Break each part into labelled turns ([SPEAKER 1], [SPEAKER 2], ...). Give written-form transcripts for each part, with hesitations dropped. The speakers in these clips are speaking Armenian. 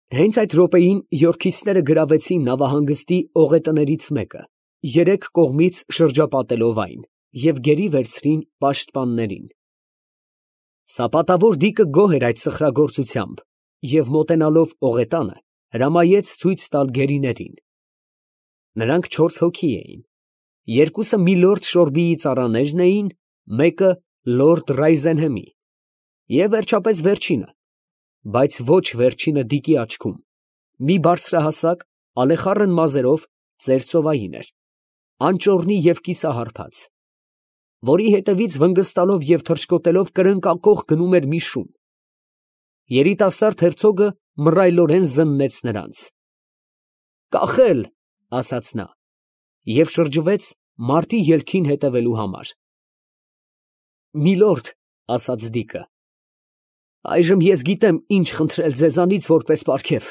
[SPEAKER 1] Հենց այդ րոպեին Եորքիստները գրավեցին նավահանգստի օղետներից մեկը, երեք կողմից շրջապատելով այն, և գերի վերցրին պաշտպաններին։ Սապատավոր դիկը գոհ էր այդ սխրագործությամբ և մոտենալով օղետանը, հրամայեց ցույց տալ գերիներին։ Նրանք 4 հոգի էին, երկուսը միլորդ Շորբիի ծառաներն էին, մեկը լորդ Ռայզենհեմի, և վերջապես վերջինը, բայց ոչ վերջինը դիկի աչքում, մի բարձրահասակ, ալեխառն մազերով ծեր ծովային էր, անճոռնի և կիսահարբած, որի հետևից վնգստալով և թռչկոտելով կրնկակոխ գնում էր մի շուն։ Երիտասարդ հերցոգը մռայլորեն զննեց նրանց։ «Կախել», ասաց նա, և շրջվեց մարտի ելքին հետևելու համար։ «Միլորդ», ասաց դիկը, այժմ ես գիտեմ ինչ խնդրել ձեզանից որպես պարգև.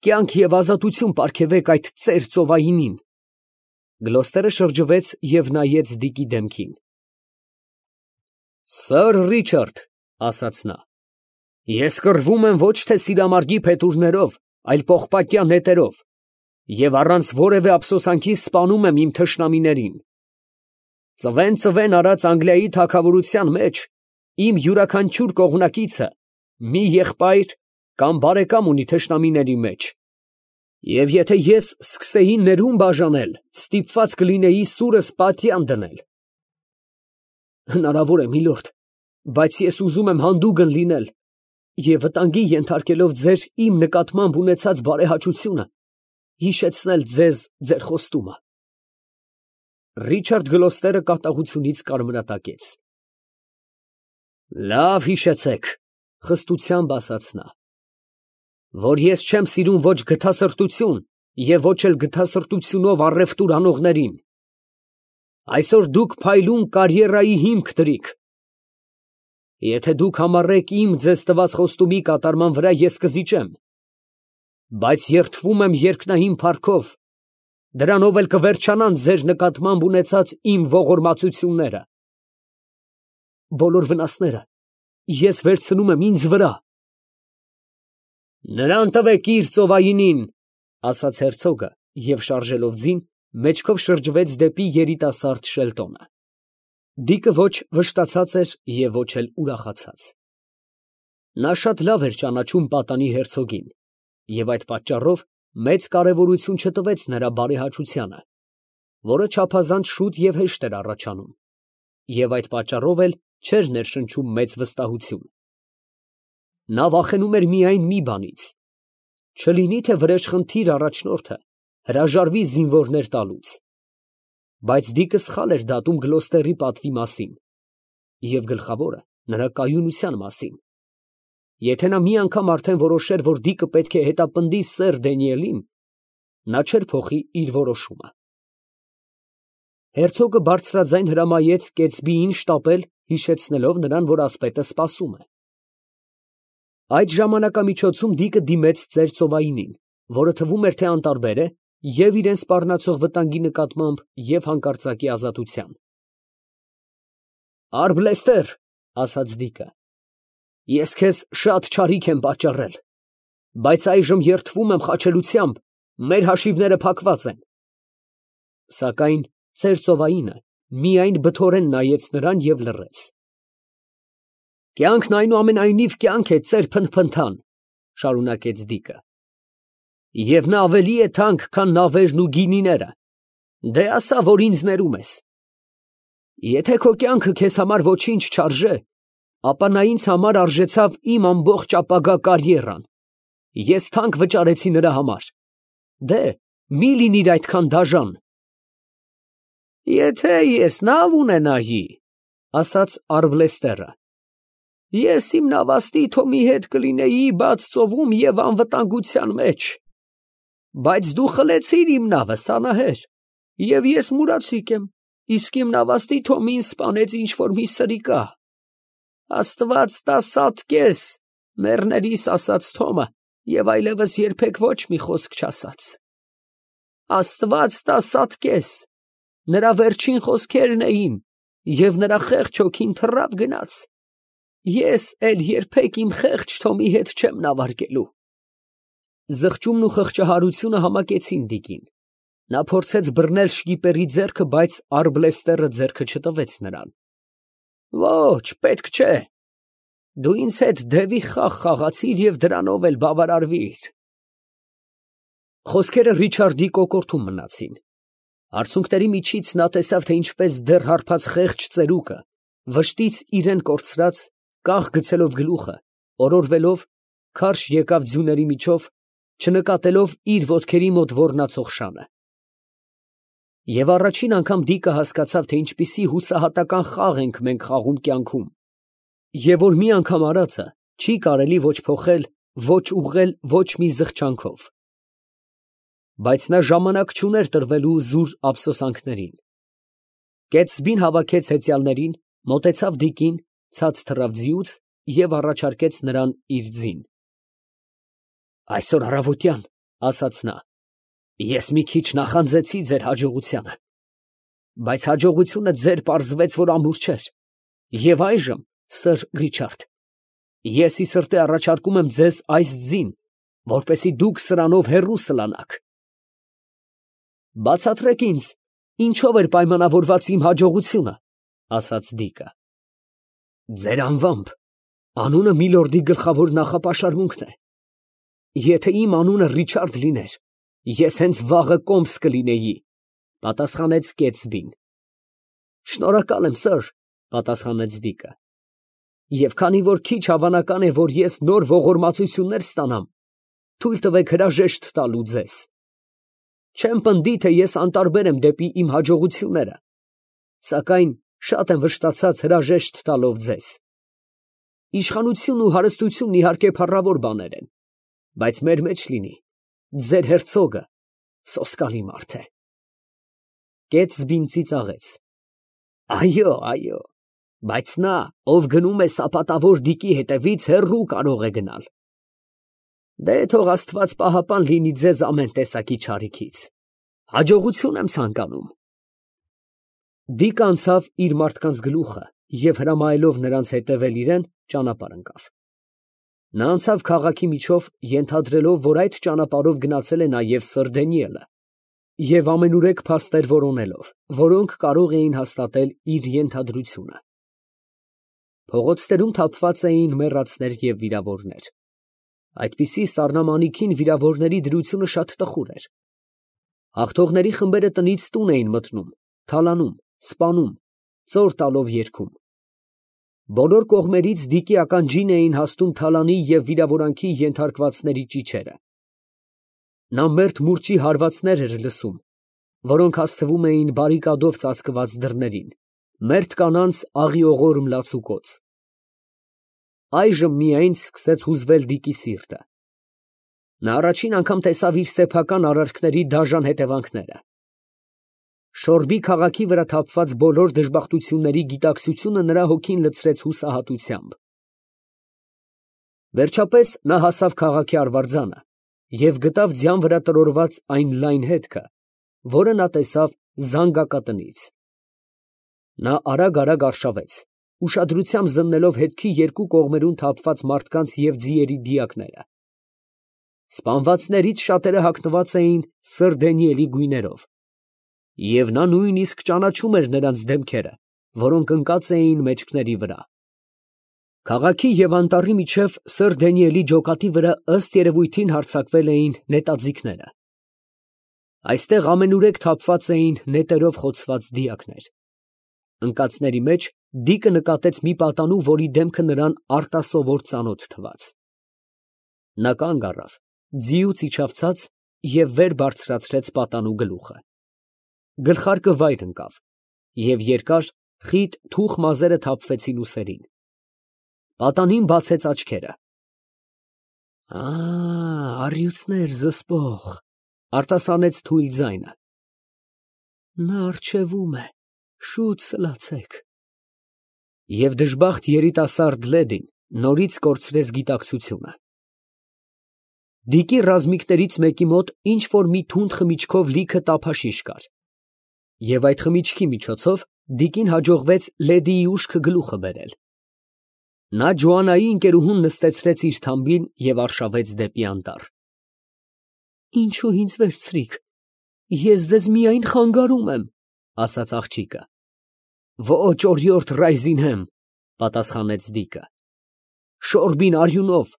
[SPEAKER 1] կյանք և ազատություն պարգևեք այդ ծեր ծովայինին։ Գլոստերը շրջվեց և նայեց դիկի դեմքին։ «Սըր Ռիչարդ, ֊ ասաց նա, ֊ ես կռվում եմ ոչ թե սիրամարգի փետուրներով, այլ պողպատյա նետերով, և առանց որևէ ափսոսանքի սպանում եմ իմ թշնամիներին։ Ծվեն արած Անգլիայի թագավորության մեջ իմ յուրաքանչյուր կողմնակիցը մի եղբայր կամ բարեկամ ունի թշնամիների մեջ, և եթե ես սկսեի ներում բաժանել, ստիպված կլինեի սուրս պատյան դնել։ Հնարավոր է, միլորդ, բայց ես ուզում եմ հանդուգն լինել և վտանգի ենթարկելով ձեր իմ նկատմամբ ունեցած բարեհաճությունը, հիշեցնել ձեզ ձեր խոստումը։ Ռիչարդ Գլոստերը կատաղությունից կարմրատակեց։ Լավ հիշեցեք, ֊ խստությամբ ասաց նա, ֊ որ ես չեմ սիրում ոչ գթասրտություն և ոչ էլ գթասրտությունով առևտուր անողներին։ Այսօր դուք փայլուն կարիերայի հիմք դրիք։ Եթե դուք համառեք իմ ձեզ տված խոստումի կատարման վրա, ես կզիջեմ, բայց երդվում եմ երկնային փառքով, դրանով էլ կվերջանան ձեր նկատմամբ ունեցած իմ ողորմածությունները։ Բոլոր վնասները ես վերցնում եմ ինձ վրա։ Նրան տվեք իր ծովայինին, ֊ ասաց հերցոգը և շարժելով ձին, մեջքով շրջվեց դեպի երիտասարդ Շելտոնը։ Դիկը ոչ վշտացած էր և ոչ էլ ուրախացած։ Նա շատ լավ էր ճանաչում պատանի հերցոգին և այդ պատճառով մեծ կարևորություն չտվեց նրա բարեհաճությանը, որը չափազանց շուտ և հեշտ էր առաջանում, և այդ պատճառով էլ չէր ներշնչում մեծ վստահություն։ Նա վախենում էր միայն մի բանից. չլինի թե վրեժխնդիր առաջնորդը հրաժարվի զինվորներ տալուց։ Բայց դիկը սխալ էր դատում Գլոստերի պատվի մասին և գլխավորը նրա կայունության մասին։ Եթե նա մի անգամ արդեն որոշեր, որ դիկը պետք է հետապնդի սեր Դանիելին, նա չէր փոխի իր որոշումը։ Հերցոգը բարձրաձայն հրամայեց Կեցբիին շտապել, հիշեցնելով նրան, որ ասպետը սպասում է։ Այդ ժամանակամիջոցում դիկը դիմեց ծեր ծովայինին, որը թվում էր, թե անտարբեր է և իրան սպառնացող վտանգի նկատմամբ, և հանկարծակի ազատության։ Արբլեստեր, ֊ ասաց դիկը, ֊ ես քեզ շատ չարիք եմ պատճառել, բայց այժմ երդվում եմ խաչելությամբ, մեր հաշիվները փակված են։ Սակայն ծեր ծովայինը միայն բթորեն նայեց նրան և լռեց։ Կյանքն այնուամենայնիվ կյանք է, ծեր փնթփնթան, ֊ շարունակեց դիկը, և նա ավելի է թանկ, քան նավերն ու գինիները, դե ասա, որ ինձ ներում ես։ Եթե քո կյանքը քեզ համար ոչինչ չարժե, ապա նա ինձ համար արժեցավ իմ ամբողջ ապագա կարիերան, ես թանկ վճարեցի նրա համար, դե մի լինիր այդքան դաժան։ Եթե ես նավ ունենայի, ֊ ասաց Արբլեստերը, ֊ ես իմ նավաստի Թոմի հետ կլինեի բաց ծովում և անվտանգության մեջ, բայց դու խլեցիր իմ նավը, սանահեր, և ես մուրացիկ եմ, իսկ իմ նավաստի Թոմին սպանեց ինչ֊որ մի սրիկա։ Աստված տա սատկես մեռներիս, ասաց Թոմը, և այլևս երբեք ոչ մի խոսք չասաց։ Աստված տա սատկես, նրա վերջին խոսքերն էին, և նրա խեղճ հոգին թռավ գնաց։ Ես էլ երբեք իմ խեղճ Թոմի հետ չեմ նավարկելու։ Զղջումն ու խղճահարությունը համակեցին Դիկին. նա փորձեց բռնել շկիպերի ձեռքը, բայց արբլեստերը ձեռքը չտվեց նրան։ Ոչ, պետք չէ, դու ինձ հետ դևի խաղ խաղացիր և դրանով էլ բավարարվիր։ Խոսքերը Ռիչարդի կոկորդում մնացին։ Արցունքների միջից նա տեսավ, թե ինչպես դեռ հարբած խեղճ ծերուկը, վշտից իրեն կորցրած, կաղ գցելով գլուխը, օրորվելով, քարշ եկավ ձյուների միջով, չնկատելով իր ոտքերի մոտ ոռնացող շանը։ Եվ առաջին անգամ Դիկը հասկացավ, թե ինչպիսի հուսահատական խաղ ենք մենք խաղում կյանքում, և որ մի անգամ արածը չի կարելի ոչ փոխել, ոչ ուղղել ոչ մի զղջանքով։ Բայց նա ժամանակ չուներ տրվելու զուր ափսոսանքներին։ Կեցսբին հավաքեց հեծյալներին, մոտեցավ Դիկին, ցած թռավ ձիուց և առաջարկեց նրան իր ձին։ Այսօր առավոտյան, ասաց նա, ես մի քիչ նախանձեցի ձեր հաջողությանը, բայց հաջողությունը ձեր պարզվեց, որ ամուր չէր, և այժմ, սըր Ռիչարդ, ես ի սրտե առաջարկում եմ ձեզ այս ձին, որպեսզի դուք սրանով հեռու սլանաք։ Բացատրեք ինձ, ինչով էր պայմանավորված իմ հաջողությունը, ասաց Դիկը։ Ձեր անվամբ, անունը միլորդի գլխավոր նախապաշարմունքն է։ Եթե իմ անունը Ռիչարդ լիներ, ես հենց վաղը կոմս կլինեի, պատասխանեց Կեցսբին։ Շնորհակալ եմ, սըր, պատասխանեց Դիկը։ Եվ քանի որ քիչ հավանական է, որ ես նոր ողորմածություններ ստանամ, թույլ տվեք հրաժեշտ տալու ձեզ։ Չեմ պնդի, թե ես անտարբեր եմ դեպի իմ հաջողությունները, սակայն շատ եմ վշտացած հրաժեշտ տալով ձեզ։ Իշխանությունն ու հարստությունն իհարկե փառավոր բաներ են, բայց մեր մեջ լինի, ձեր հերցոգը սոսկալի մարդ է։ Կեցսբին ծիծաղեց։ Այո, այո, բայց նա, ով գնում է սապատավոր Դիկի հետևից, հեռու կարող է գնալ։ Դե թող Աստված պահապան լինի ձեզ ամեն տեսակի չարիքից։ Հաջողություն եմ ցանկանում։ Դիկը անցավ իր մարդկանց գլուխը և հրամայելով նրանց հետևել իրեն, ճանապարհ ընկավ։ Նա անցավ քաղաքի միջով, ենթադրելով, որ այդ ճանապարհով գնացել է նաև սըր Դանիելը, և ամենուրեք փաստեր որոնելով, որոնք կարող էին հաստատել իր ենթադրությունը։ Փողոցներում թափված էին մեռածներ և վիրավորներ։ Այդպիսի սառնամանիքին վիրավորների դրությունը շատ տխուր էր։ Հաղթողների խմբերը տնից տուն էին մտնում, թալանում, սպանում, ծոր տալով երգում։ Բոլոր կողմերից Դիկի ականջին էին հասնում թալանի և վիրավորանքի ենթարկվածների ճիչերը։ Նա մերթ մուրճի հարվածներ էր լսում, որոնք հասցվում էին բարիկադով ծածկված դռներին, մերթ կանանց աղիողոր մլացուկոց։ Այժմ միայն սկսեց հուզվել Դիկի սիրտը։ Նա առաջին անգամ տեսավ իր սեփական արարքների դաժան հետևանքները։ Շորբի քաղաքի վրա թափված բոլոր դժբախտությունների գիտակցությունը նրա հոգին լցրեց հուսահատությամբ։ Վերջապես նա հասավ քաղաքի արվարձանը և գտավ ձյան վրա տրորված այն լայն հետքը, որը նա տեսավ զանգակատնից։ Նա արագ արշավեց, ուշադրությամբ զննելով հետքի երկու կողմերում թափված մարդկանց և ձիերի դիակները։ Սպանվածներից շատերը հագնված էին սըր Դանիելի գույներով, և նա նույնիսկ ճանաչում էր նրանց դեմքերը, որոնք ընկած էին մեջքների վրա։ Քաղաքի և անտառի միջև սըր Դանիելի ջոկատի վրա ըստ երևույթին հարձակվել էին նետաձիգները։ Այստեղ ամենուրեք թափված էին նետերով խոցված դիակներ։ Ընկածների մեջ Դիկը նկատեց մի պատանու, որի դեմքը նրան արտասովոր ծանոթ թվաց։ Նա կանգ առավ, ձիուց իջավ ցած և վեր բարձրացրեց պատանու գլուխը։ Գլխարկը վայր ընկավ, և երկար, խիտ թուխ մազերը թափվեցին ուսերին։ Պատանին բացեց աչքերը։ Առյուծներ զսպող, արտասանեց թույլ ձայնը։ Նա առջևում է, շուտ սլացեք։ Եվ դժբախտ երիտասարդ լեդին նորից կորցրեց գիտակցությունը։ Դիկի ռազմիկներից մեկի մոտ ինչ֊որ մի թունդ խմիչքով լիքը տափաշիշ կար, և այդ խմիչքի միջոցով Դիկին հաջողվեց լեդիի ուշքը գլուխը բերել։ Նա Ջոաննայի ընկերուհուն նստեցրեց իր թամբին և արշավեց դեպի անտառ։ Ինչու ինձ վերցրիք, ես ձեզ միայն խանգարում եմ, ասաց աղջիկը։ Ոչ, օրիորդ Ռայզինհեմ, պատասխանեց Դիկը, շորբին արյունով,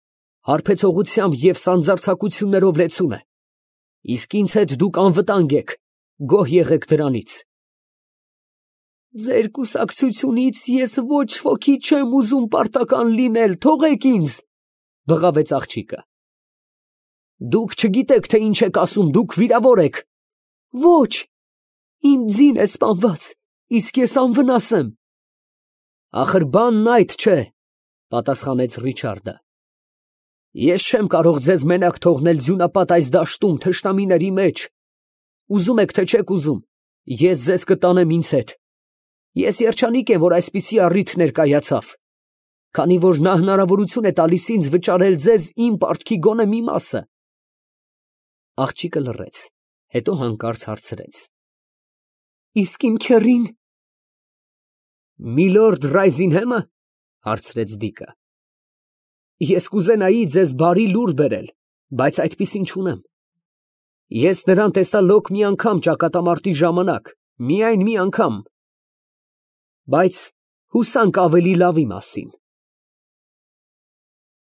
[SPEAKER 1] հարբեցողությամբ և սանձարձակություններով լեցուն է, իսկ ինձ հետ դուք անվտանգ եք, գոհ եղեք դրանից։ Ձեր կուսակցությունից ես ոչ ոքի չեմ ուզում պարտական լինել, թողեք ինձ, բղավեց աղջիկը։ Դուք չգիտեք, թե ինչ եք ասում, դուք վիրավոր եք։ Ոչ, իմ ձին է սպանված, իսկ ես անվնաս եմ։ Ախր բանն այդ չէ, պատասխանեց Ռիչարդը։ Ես չեմ կարող ձեզ մենակ թողնել ձյունապատ այս դաշտում թշնամիների մեջ։ Ուզում եք, թե չեք ուզում, ես ձեզ կտանեմ ինձ հետ։ Ես երջանիկ եմ, որ այսպիսի առիթ ներկայացավ, քանի որ նա հնարավորություն է տալիս ինձ վճարել ձեզ իմ պարտքի գոնե մի մասը։ Աղջիկը լռեց, հետո հանկարծ հարցրեց. Իսկ իմ քեռին։ Միլորդ Ռայզինհեմը, հարցրեց Դիկը։ Ես կուզենայի ձեզ բարի լուր բերել, բայց այդպիսին չունեմ։ Ես նրան տեսա լոկ մի անգամ ճակատամարտի ժամանակ, միայն մի անգամ։ Բայց հուսանք ավելի լավի մասին։